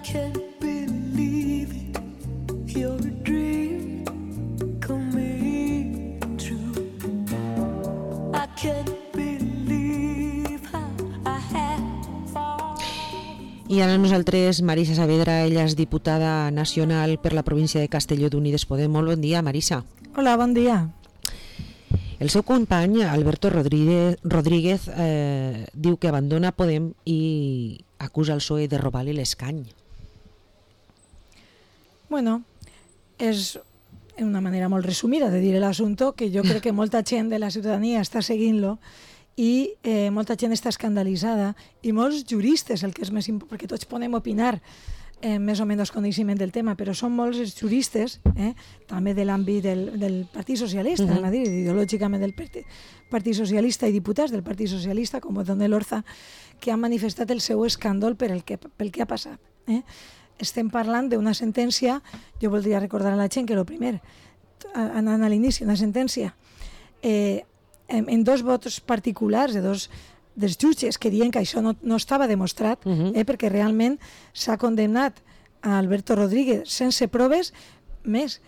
can't believe it. You're a dream coming true. I can't believe how I have fallen. I ara nosaltres, Marisa Saavedra, ella és diputada nacional per la província de Castelló d'Unides Podem. Molt bon dia, Marisa. Hola, bon dia. El seu company, Alberto Rodríguez, diu que abandona Podem i acusa el PSOE de robar-li l'escany. Bueno, és una manera molt resumida de dir l'assumpte, que jo crec que molta gent de la ciutadania està seguint-lo i molta gent està escandalitzada i molts juristes, el que és més important, perquè tots podem opinar més o menys coneixement del tema, però són molts els juristes, també de l'àmbit del Partit Socialista, a dir, ideològicament del Partit Socialista i diputats del Partit Socialista, com Donel Orza, que han manifestat el seu escàndol pel que ha passat. Estem parlant d'una sentència, jo voldria recordar a la gent que el primer, anant a l'inici, una sentència en dos vots particulars de dos dels jutges que diuen que això no estava demostrat, perquè realment s'ha condemnat a Alberto Rodríguez sense proves, més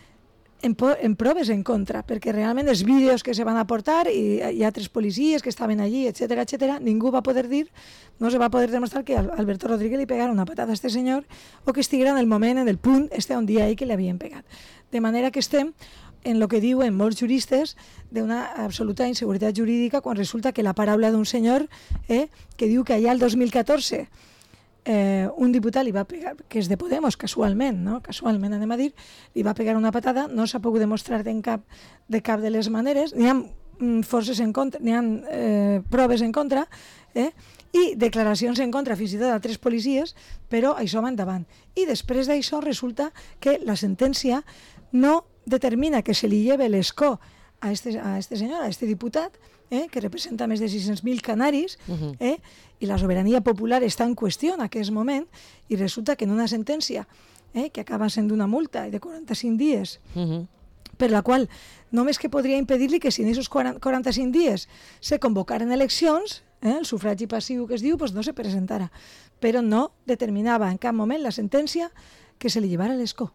en proves en contra, perquè realment els vídeos que se van aportar i hi ha altres policies que estaven allí, etcètera, ningú va poder dir, no se va poder demostrar que a Alberto Rodríguez li pegara una patada a este senyor o que estiguera en el moment, en el punt, on dia ahí que li havien pegat. De manera que estem en el que diuen molts juristes d'una absoluta inseguretat jurídica quan resulta que la paraula d'un senyor que diu que allà el 2014 un diputat li va pegar, que és de Podemos casualment, anem a dir, li va pegar una patada, no s'ha pogut demostrar de cap de les maneres, n'hi ha forces en contra, n'hi ha proves en contra, i declaracions en contra fins i tot d'altres policies, però això va endavant. I després d'això resulta que la sentència no determina que se li lleve l'escó a este senyor, a este diputat, que representa més de 600.000 canaris, i la sobirania popular està en qüestió en aquest moment, i resulta que en una sentència que acaba sent una multa de 45 dies, per la qual només que podria impedir-li que si en aquests 45 dies se convocaren eleccions, el sufragi passiu que es diu, no se presentara, però no determinava en cap moment la sentència que se li llevara l'escó.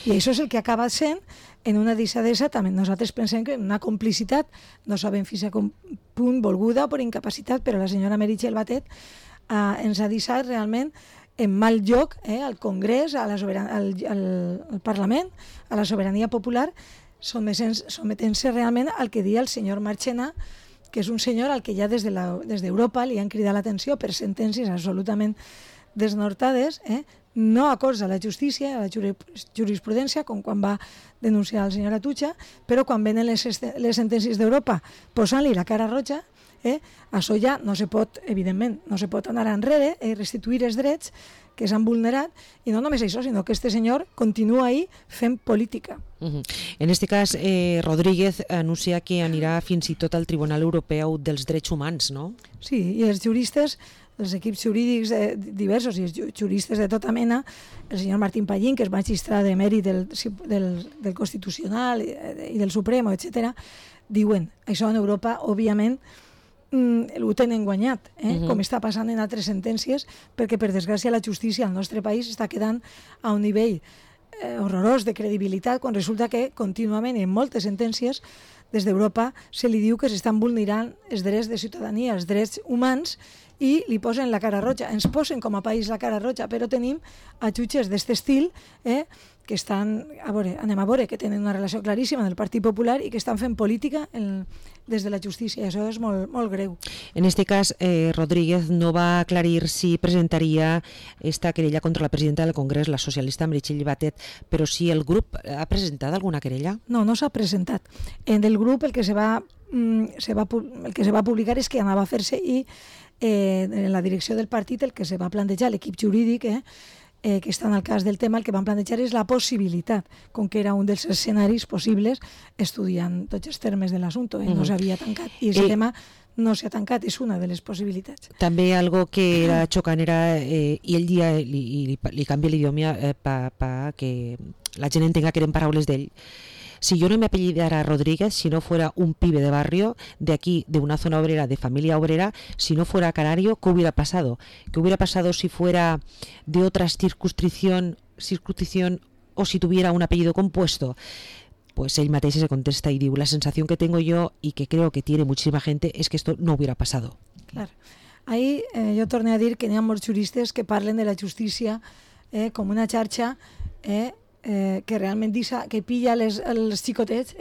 I això és el que acaba sent en una deixadesa, també nosaltres pensem que una complicitat, no sabem fins a quin punt volguda o per incapacitat, però la senyora Meritxell Batet ens ha deixat realment en mal lloc al Congrés, al Parlament, a la sobirania popular, sometent-se realment al que dia el senyor Marchena, que és un senyor al que ja des d'Europa li han cridat l'atenció per sentències absolutament desnortades, no acords a la justícia, a la jurisprudència, com quan va denunciar el senyor Atutxa, però quan venen les sentències d'Europa posant-li la cara roja, això ja no se pot, evidentment, no se pot anar enrere i restituir els drets que s'han vulnerat, i no només això, sinó que este senyor continua ahí fent política. En aquest cas, Rodríguez anuncia que anirà fins i tot al Tribunal Europeu dels Drets Humans, no? Sí, i els juristes, els equips jurídics diversos i els juristes de tota mena, el senyor Martín Pallín, que és magistrat de mèrit del Constitucional i del Supremo, etc., diuen, això en Europa, òbviament, ho tenen guanyat, com està passant en altres sentències, perquè per desgràcia la justícia al nostre país està quedant a un nivell horrorós de credibilitat quan resulta que contínuament en moltes sentències des d'Europa se li diu que s'estan vulnerant els drets de ciutadania, els drets humans, i li posen la cara roja. Ens posen com a país la cara roja, però tenim a jutges d'aquest estil que estan, anem a veure, que tenen una relació claríssima amb el Partit Popular i que estan fent política des de la justícia, i això és molt, molt greu. En aquest cas, Rodríguez no va aclarir si presentaria esta querella contra la presidenta del Congrés, la socialista Meritxell Batet, però si el grup ha presentat alguna querella? No, no s'ha presentat. En el grup el que se va publicar és que anava a fer-se, i en la direcció del partit el que se va plantejar, l'equip jurídic que està en el cas del tema, el que van plantejar és la possibilitat, com que era un dels escenaris possibles, estudiant tots els termes de l'assumpte, no s'havia tancat, i aquest tema no s'ha tancat, és una de les possibilitats. També algo que era xocant era, i ell dia li canvia l'idioma per que la gent entenga que eren paraules d'ell, Si yo no me apellidara Rodríguez, si no fuera un pibe de barrio, de aquí, de una zona obrera, de familia obrera, si no fuera canario, ¿qué hubiera pasado? ¿Qué hubiera pasado si fuera de otra circunscripción o si tuviera un apellido compuesto? Pues ell mateix se contesta y digo, la sensación que tengo yo y que creo que tiene muchísima gente es que esto no hubiera pasado. Clar. Ahir jo torno a dir que n'hi ha molts juristes que parlen de la justícia com una xarxa que realment que pilla els xicotets,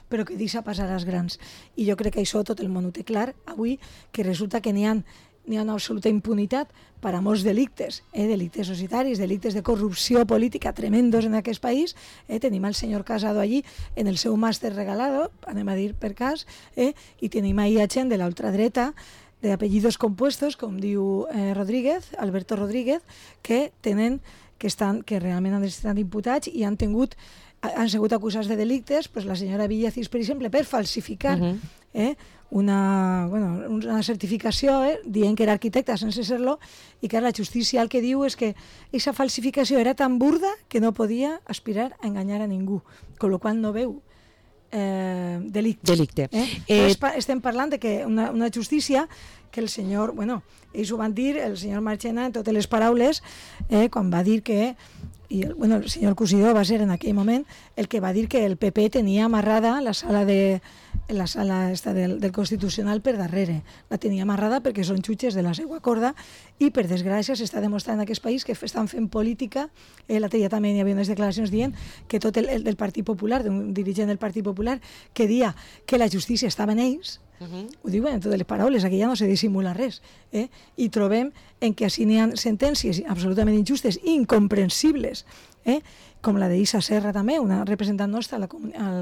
però que deixa passar als grans. I jo crec que això tot el món ho té clar avui, que resulta que n'hi ha una absoluta impunitat per a molts delictes, delictes societaris, delictes de corrupció política tremendos en aquest país. Tenim el senyor Casado allí en el seu màster regalado, anem a dir per cas, i tenim ahí a gent de l'ultradreta, de apellidos compuestos, com diu Rodríguez, Alberto Rodríguez, que realment han estat imputats i han sigut acusats de delictes, pues la senyora Villacís, per exemple, per falsificar una certificació dient que era arquitecta sense ser-lo, i que la justícia el que diu és que aquesta falsificació era tan burda que no podia aspirar a enganyar a ningú, amb la qual no veu delicte. Estem parlant de que una justícia que el senyor, ells ho van dir, el senyor Marchena, en totes les paraules, quan va dir que, el senyor Cusidó va ser en aquell moment el que va dir que el PP tenia amarrada la sala del Constitucional per darrere. La tenia amarrada perquè són jutges de la seva corda i, per desgràcia, s'està demostrant en aquest país que estan fent política. L'altre dia també hi havia unes declaracions dient que tot el del Partit Popular, d'un dirigent del Partit Popular, que dia que la justícia estava en ells, ho diuen en totes les paraules, aquí ja no se dissimula res, i trobem en que així n'hi ha sentències absolutament injustes i incomprensibles, com la d'Isa Serra també, una representant nostra a la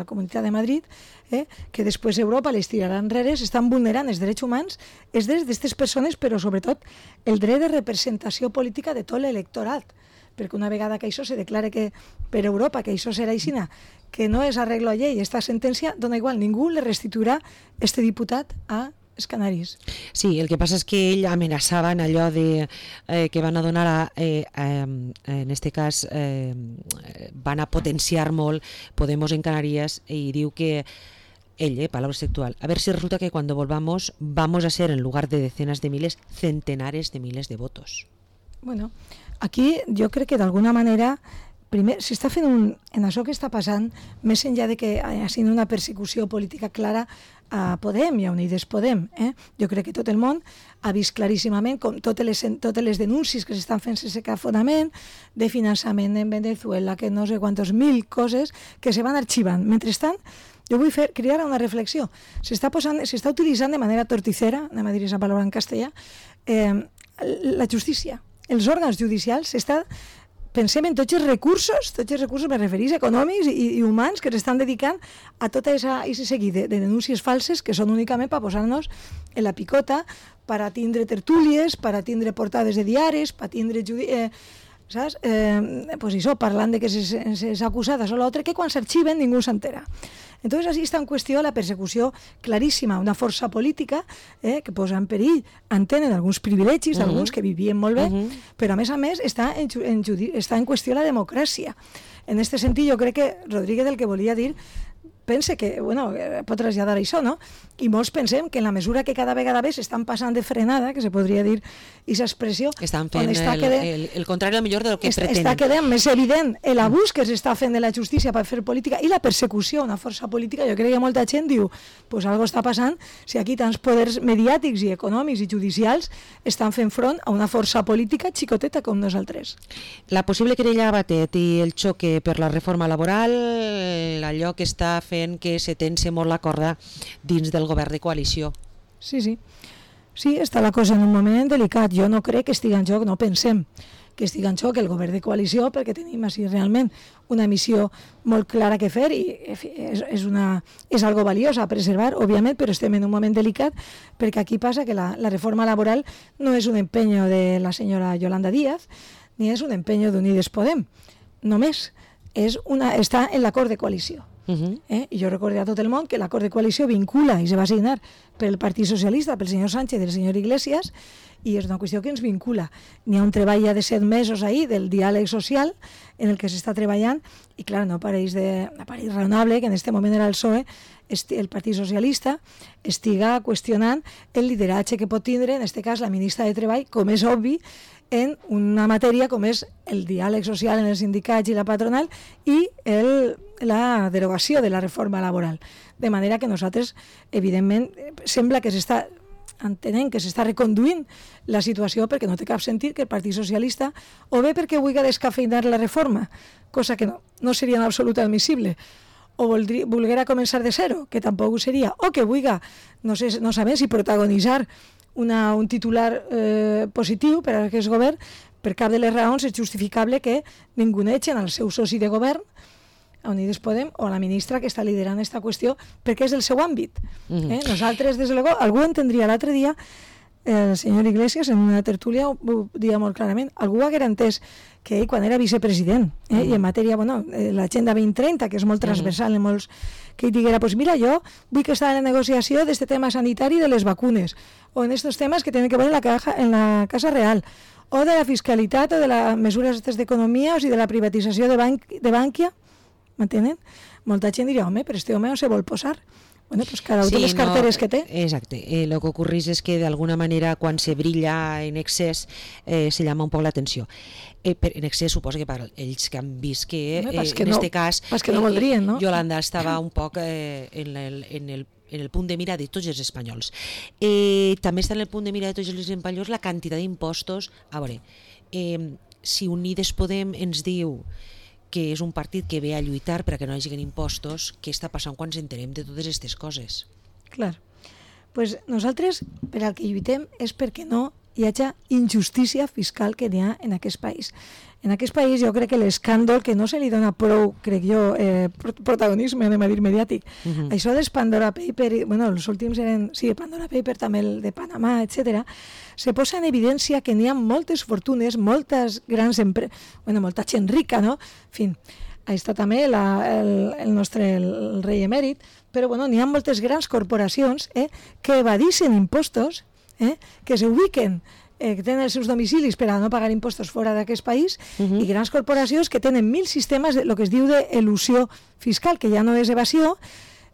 Comunitat de Madrid, que després Europa les tirarà enrere, s'estan vulnerant els drets humans, els drets d'aquestes persones, però sobretot el dret de representació política de tot l'electorat, perquè una vegada que això se declare que per Europa que això serà aixina, que no és arreglo a llei, esta sentència dona igual, ningú le restituirà este diputat a els canaris. Sí, el que passa és que ell amenaçava en allò de que van a donar en este cas van a potenciar molt Podemos en Canarias, i diu que ell, palabra textual, a ver si resulta que cuando volvamos vamos a ser en lugar de decenas de miles, centenares de miles de votos. Bueno, aquí jo crec que d'alguna manera primer s'està fent en això que està passant, més enllà de que hi hagi una persecució política clara a Podem i a Unides Podem. Jo crec que tot el món ha vist claríssimament com totes les denúncies que s'estan fent sense cap fonament, de finançament en Venezuela, que no sé quantos mil coses que se van arxivant. Mentrestant, jo vull cridar a una reflexió. S'està utilitzant de manera torticera, anem a dir aquesta paraula en castellà, la justícia. Els òrgans judicials pensem en tots els recursos me referís econòmics i humans que s'estan dedicant a tot aquest seguit de denúncies falses que són únicament per posar-nos en la picota, per a tindre tertúlies, per a tindre portades de diaris, per a tindre saps? Pues això, parlant de que s'és acusada o l'altre, que quan s'arxiven ningú s'entera. Entonces, així està en qüestió la persecució claríssima, una força política que posa en perill, entenen alguns privilegis d'alguns que vivien molt bé, però a més està en qüestió la democràcia. En aquest sentit, jo crec que Rodríguez el que volia dir pense que, pot traslladar això, no? I molts pensem que en la mesura que cada vegada més estan passant de frenada, que se podria dir aquesta expressió... Estan fent el contrari al millor del que pretenen. Està quedant més evident l'abús que s'està fent de la justícia per fer política i la persecució a una força política. Jo crec que molta gent diu, pues algo està passant si aquí tants poders mediàtics i econòmics i judicials estan fent front a una força política xicoteta com nosaltres. La possible querella a Batet i el xoque per la reforma laboral, allò que està fent que se tense molt la corda dins del govern de coalició. Sí, està la cosa en un moment delicat. Jo no crec que estigui en joc, no pensem que estigui en joc el govern de coalició, perquè tenim així realment una missió molt clara que fer i és algo valiós a preservar, òbviament, però estem en un moment delicat perquè aquí passa que la reforma laboral no és un empeño de la senyora Yolanda Díaz ni és un empeño d'Unides Podem, només està en l'acord de coalició. I jo recordé a tot el món que l'acord de coalició vincula i se va signar pel Partit Socialista, pel senyor Sánchez i el senyor Iglesias, i és una qüestió que ens vincula. N'hi ha un treball ja de 7 mesos ahí del diàleg social en el que s'està treballant i clar, no pareix raonable que en aquest moment era el PSOE, el Partit Socialista, estiga qüestionant el lideratge que pot tindre, en aquest cas, la ministra de Treball, com és obvi, en una matèria com és el diàleg social en els sindicats i la patronal i la derogació de la reforma laboral. De manera que nosaltres, evidentment, sembla que s'està entenent que s'està reconduint la situació perquè no té cap sentit que el Partit Socialista, o bé perquè vulgui descafeinar la reforma, cosa que no seria en absolut admissible, o volguera començar de zero, que tampoc ho seria, o que vulgui, no sabem si protagonitzar un titular positiu per a aquest govern, per cap de les raons és justificable que ningunegen al seu soci de govern, a Unides Podem, o a la ministra que està liderant aquesta qüestió, perquè és el seu àmbit. Nosaltres, des de luego, algú entendria l'altre dia, el senyor Iglesias, en una tertúlia, ho dia molt clarament, algú haguera entès que ell, quan era vicepresident, i en matèria, l'Agenda 2030, que és molt transversal en molts, que ell diguera, pues mira, jo vull que està en la negociació d'este tema sanitari de les vacunes, o en estos temes que tenen que veure en la Casa Real, o de la fiscalitat, o de les mesures d'economia, o sigui, de la privatització de Bankia, m'entenen? Molta gent diria, home, però este home no se vol posar. Bueno, pues cada uno de les carteres que té. Exacte. Lo que ocorreix és que d'alguna manera quan se brilla en excés se llama un poc l'atenció. En excés suposo que per ells que han vist que en este cas no voldrien, no? Yolanda estava un poc en el punt de mira de tots els espanyols. També està en el punt de mira de tots els espanyols la quantitat d'impostos. A veure, si Unides Podem ens diu que és un partit que ve a lluitar perquè no hi hagi impostos, què està passant quan ens entenem de totes aquestes coses? Clar. Pues nosaltres, per al que lluitem, és perquè no hi hagi injustícia fiscal que n'hi ha en aquest país. En aquest país jo crec que l'escàndol, que no se li dona prou, crec jo, protagonisme, anem a dir, mediàtic. Això dels Pandora Paper, els últims eren, Pandora Paper, també el de Panamà, etc. Se posa en evidència que n'hi ha moltes fortunes, moltes grans empreses, molta gent rica, no? En fi, està també el nostre rei emèrit, però n'hi ha moltes grans corporacions que evadixen impostos, que s'ubiquen, que tenen els seus domicilis per a no pagar impostos fora d'aquest país, i grans corporacions que tenen 1.000 sistemes, el que es diu d'elusió fiscal, que ja no és evasió,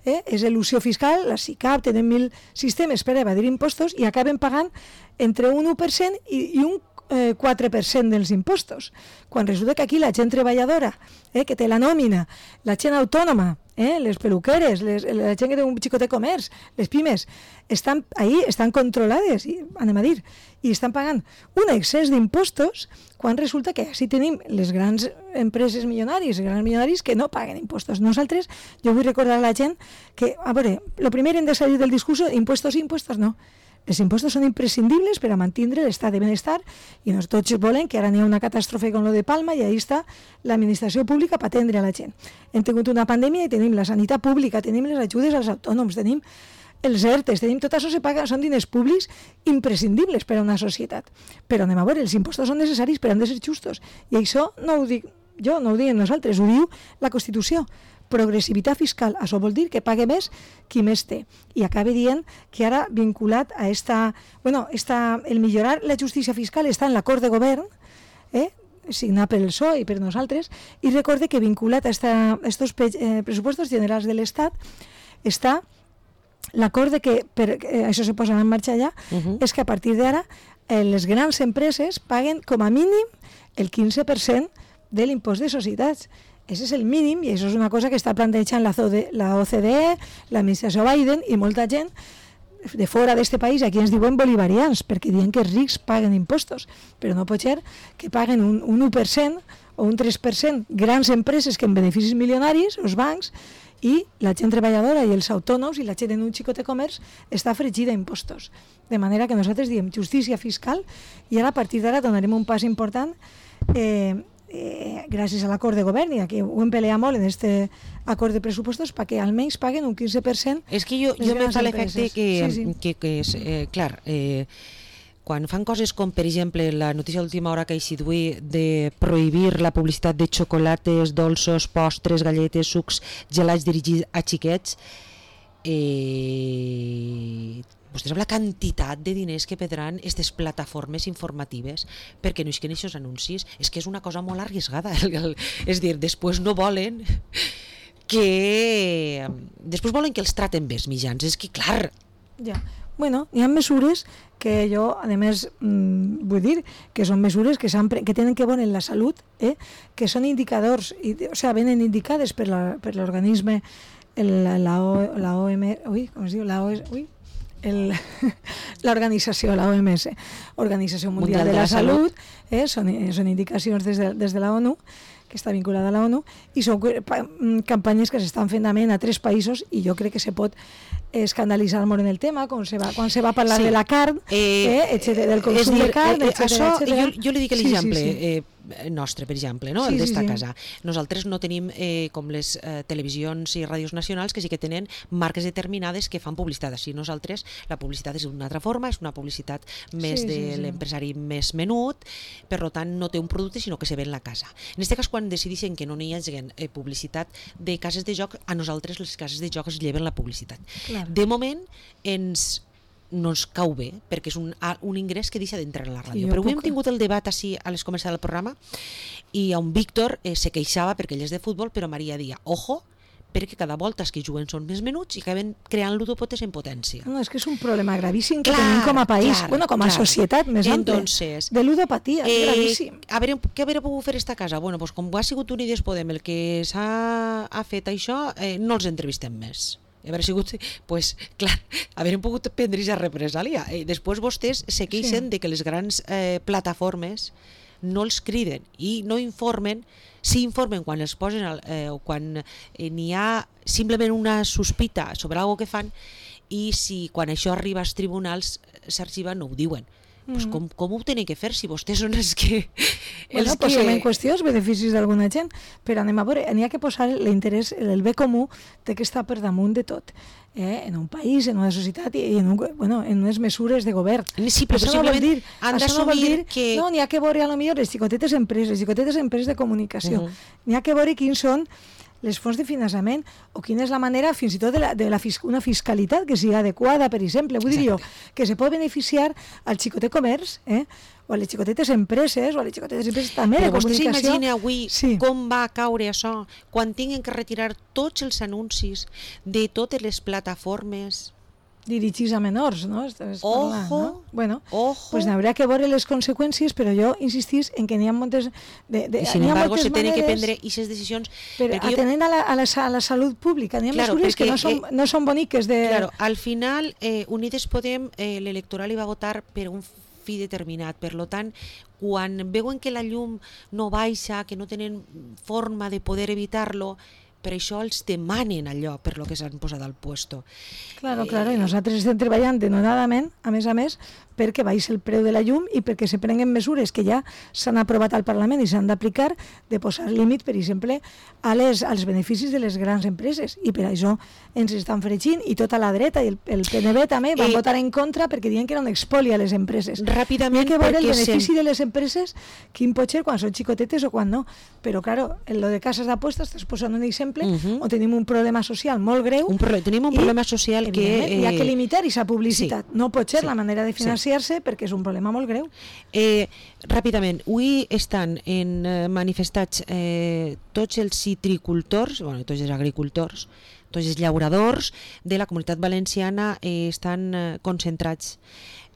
és elusió fiscal, la SICAP tenen 1.000 sistemes per evadir impostos i acaben pagant entre un 1% i un 4% dels impostos. Quan resulta que aquí la gent treballadora, que té la nòmina, la gent autònoma, les peluqueres, la gent que té un xicot de comerç, les pimes, estan controlades, anem a dir, i estan pagant un excés d'impostos, quan resulta que així tenim les grans empreses milionaris, els grans milionaris que no paguen impostos. Nosaltres, jo vull recordar a la gent que, a veure, el primer hem de salir del discurs, impostos no. Els impostos són imprescindibles per a mantenir l'estat de benestar i tots volen que ara n'hi ha una catàstrofe com lo de Palma i ahí està l'administració pública per atendre a la gent. Hem tingut una pandèmia i tenim la sanitat pública, tenim les ajudes als autònoms, tenim els ERTEs, tenim tot això, se paga, són diners públics imprescindibles per a una societat. Però anem a veure, els impostos són necessaris però han de ser justos. I això no ho dic jo, no ho diem nosaltres, ho diu la Constitució. Progressivitat fiscal, això vol dir que pague més qui més té. I acaba dient que ara vinculat a el millorar la justícia fiscal està en l'acord de govern, signat pel PSOE i per nosaltres, i recorde que vinculat a estos pressupostos generals de l'Estat està l'acord de que, això se posa en marxa ja, és que a partir d'ara les grans empreses paguen com a mínim el 15% de l'impost de societats. Això és el mínim i això és una cosa que està plantejant la OCDE, l'administració Biden i molta gent de fora d'este país, aquí ens diuen bolivarians, perquè diuen que els rics paguen impostos, però no pot ser que paguen un 1% o un 3% grans empreses que en beneficis milionaris, els bancs, i la gent treballadora i els autònoms i la gent en un xicot de comerç està fregida d'impostos. De manera que nosaltres diem justícia fiscal i ara a partir d'ara donarem un pas important gràcies a l'acord de govern, i aquí ho hem peleat molt en aquest acord de pressupostos perquè almenys paguen un 15%. És que jo me fa l'efecte que és, clar, quan fan coses com, per exemple, la notícia d'última hora que ha eixit avui de prohibir la publicitat de xocolates, dolços, postres, galletes, sucs, gelats dirigits a xiquets, vostès amb la quantitat de diners que perdran aquestes plataformes informatives perquè no isquen aquests anuncis, és que és una cosa molt arriscada. És dir, després no volen que... Després volen que els traten bé els mitjans, és que clar... Ja. Bueno, hi ha mesures que jo, a més, vull dir que són mesures que tenen que veure en la salut, que són indicadors, o sigui, venen indicades per l'organisme, l'organització, la OMS, Organització Mundial de la Salut, són indicacions des de la ONU, que està vinculada a la ONU, i són campanyes que s'estan fent també en altres països, i jo crec que se pot escandalitzar molt en el tema, quan se va parlar de la carn, del consum de carn, etc. Jo li dic l'exemple nostre, per exemple, no? El d'esta casa. Nosaltres no tenim com les televisions i ràdios nacionals, que sí que tenen marques determinades que fan publicitat. Així nosaltres, la publicitat és d'una altra forma, és una publicitat més de l'empresari més menut, per tant no té un producte sinó que se ven la casa. En aquest cas, quan decideixen que no hi hagi publicitat de cases de joc, a nosaltres les cases de joc es lleven la publicitat. Clar. De moment no ens cau bé, perquè és un ingrés que deixa d'entrar a la ràdio. Però avui hem tingut el debat així a les començades del programa i a un Víctor se queixava perquè ell és de futbol, però Maria dia, ojo, perquè cada volta els que juguen són més menuts i acaben creant ludopotes en potència. No, és que és un problema gravíssim que tenim com a país, com a societat més ampla, de ludopatia, és gravíssim. Què hauria pogut fer esta casa? Bueno, doncs com ha sigut Unides Podem el que s'ha fet això, no els entrevistem més. Haver sigut, pues, clar, haurem pogut prendre aquesta represàlia. Després vostès se queixen de que les grans plataformes no els criden i no informen, sí informen quan els posen o quan n'hi ha simplement una sospita sobre alguna que fan, i si quan això arriba als tribunals s'arxiva no ho diuen. Pues com ho tenen que fer si vostès són els que... Posem en qüestió els beneficis d'alguna gent, però anem a veure, n'hi ha que posar l'interès, el bé comú de que està per damunt de tot, en un país, en una societat i en unes mesures de govern. Sí, però simplement han d'assumir que... No, n'hi ha que veure, potser les xicotetes empreses de comunicació. N'hi ha que veure quins són les fonts de finançament o quina és la manera fins i tot una fiscalitat que sigui adequada, per exemple, vull dir jo, que se pot beneficiar al xicotet comerç, o a les xicotetes empreses, o a les xicotetes empreses també de comunicació. Però vostè s'imagina avui com va caure això quan tinguin que retirar tots els anuncis de totes les plataformes dirigits a menors, no? Ojo, bueno, pues n'haurà que veure les conseqüències, però jo insistís en que n'hi ha moltes... I sin embargo se tenen que prendre aquestes decisions... Però atenent a la salut pública, n'hi ha mesures que no són boniques de... Claro, al final Unides Podem l'electoral hi va votar per un fi determinat, per tant, quan veuen que la llum no baixa, que no tenen forma de poder evitar-lo, per això els demanen allò per lo que s'han posat al puesto. Claro, i nosaltres estem treballant denodadament, a més, perquè baixi el preu de la llum i perquè se prenguen mesures que ja s'han aprovat al Parlament i s'han d'aplicar, de posar límit, per exemple, als beneficis de les grans empreses. I per això ens estan fregint, i tota la dreta i el PNB també van votar en contra perquè diuen que era un expoli a les empreses. Ràpidament, hi ha que veure el benefici de les empreses, quin pot ser quan són xicotetes o quan no. Però, claro, en lo de cases d'apostes, estàs posant un exemple on tenim un problema social molt greu. Tenim un problema social que... Hi ha que limitar aquesta publicitat. No pot ser la manera de financiar-se perquè és un problema molt greu. Ràpidament, avui estan manifestats tots els citricultors, tots els agricultors, tots els llauradors de la Comunitat Valenciana estan concentrats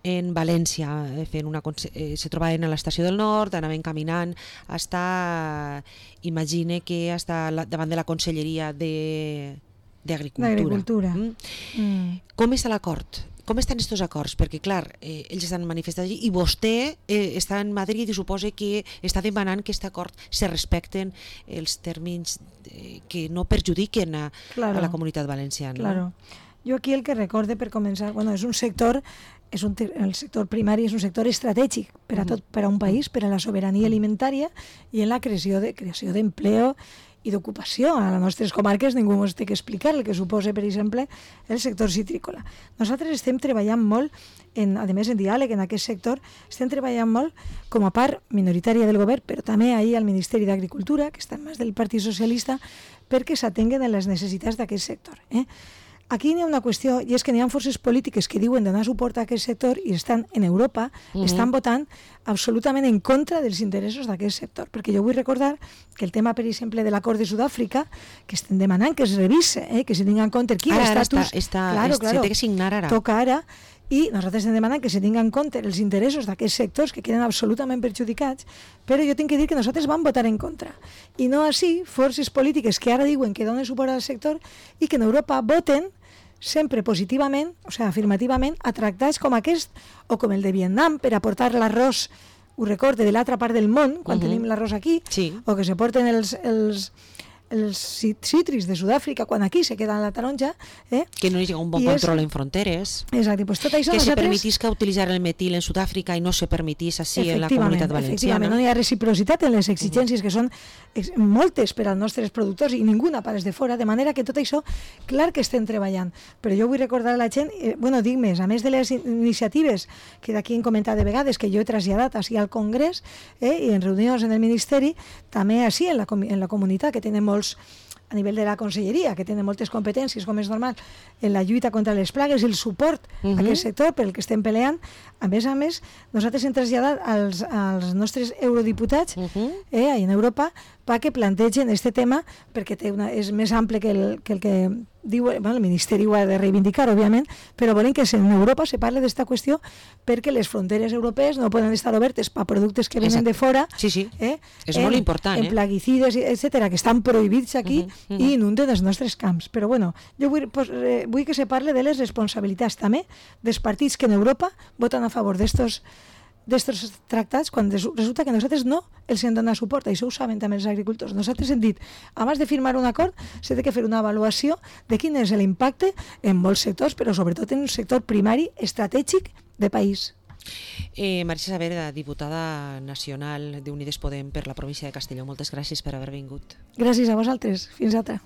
en València, se trobaven a l'estació del Nord, anaven caminant imagine que davant de la Conselleria d'Agricultura. Com està l'acord? Com estan aquests acords? Perquè, clar, ells estan manifestant allí i vostè està en Madrid i suposa que està demanant que aquest acord se respecten els tèrmins que no perjudiquen a la comunitat valenciana. Claro. Jo aquí el que recorde, per començar, és un sector, el sector primari és un sector estratègic per a un país, per a la sobirania alimentària i en la creació d'empleo i d'ocupació. A les nostres comarques ningú ens té que explicar el que suposa, per exemple, el sector citrícola. Nosaltres estem treballant molt, a més en diàleg en aquest sector, estem treballant molt com a part minoritària del govern, però també ahir al Ministeri d'Agricultura, que està en mans del Partit Socialista, perquè s'atenguen a les necessitats d'aquest sector. Aquí hi ha una qüestió, i és que hi ha forces polítiques que diuen donar suport a aquest sector i estan en Europa, estan votant absolutament en contra dels interessos d'aquest sector. Perquè jo vull recordar que el tema, per exemple, de l'acord de Sud-àfrica, que estem demanant que es revise, que se tingui en compte quin estatus... Se té que signar ara. Toca ara, i nosaltres estem demanant que se tingui en compte els interessos d'aquests sectors que queden absolutament perjudicats, però jo tinc que dir que nosaltres vam votar en contra. I no així forces polítiques que ara diuen que donen suport al sector i que en Europa voten sempre positivament, o sigui, afirmativament, a tractats com aquest o com el de Vietnam per aportar l'arròs, ho recorde, de l'altra part del món, quan tenim l'arròs aquí, o que se porten els cítrics de Sud-àfrica quan aquí se queda la taronja, que no hi ha un bon control en fronteres, exacte, pues tot això que se permetisca utilitzar el metil en Sud-àfrica i no se permetís així en la comunitat valenciana. Efectivament, no hi ha reciprocitat en les exigències que són moltes per als nostres productors i ninguna per als de fora, de manera que tot això, clar que estem treballant, però jo vull recordar a la gent, dic més, a més de les iniciatives que d'aquí hem comentat de vegades, que jo he traslladat així al Congrés i en reunions en el Ministeri, també així en la comunitat, que tenen molts a nivell de la conselleria, que tenen moltes competències, com és normal, en la lluita contra les plagues i el suport a aquest sector pel que estem peleant. A més, nosaltres hem traslladat als nostres eurodiputats en Europa perquè plantegen aquest tema, perquè és més ample que el que diu, el Ministeri ho ha de reivindicar, òbviament, però volen que en Europa se parli d'esta qüestió perquè les fronteres europees no poden estar obertes per productes que venen de fora. Sí. És molt important. En plaguicides, etcètera, que estan prohibits aquí i inunden els nostres camps. Però bueno, jo vull que se parli de les responsabilitats també dels partits que en Europa voten a favor d'estos tractats quan resulta que nosaltres no els hem donat suport. Això ho saben també els agricultors. Nosaltres hem dit, abans de firmar un acord s'ha de fer una avaluació de quin és l'impacte en molts sectors, però sobretot en un sector primari estratègic de país. Maria Saavedra, diputada nacional d'Unides Podem per la província de Castelló, moltes gràcies per haver vingut. Gràcies a vosaltres. Fins altra.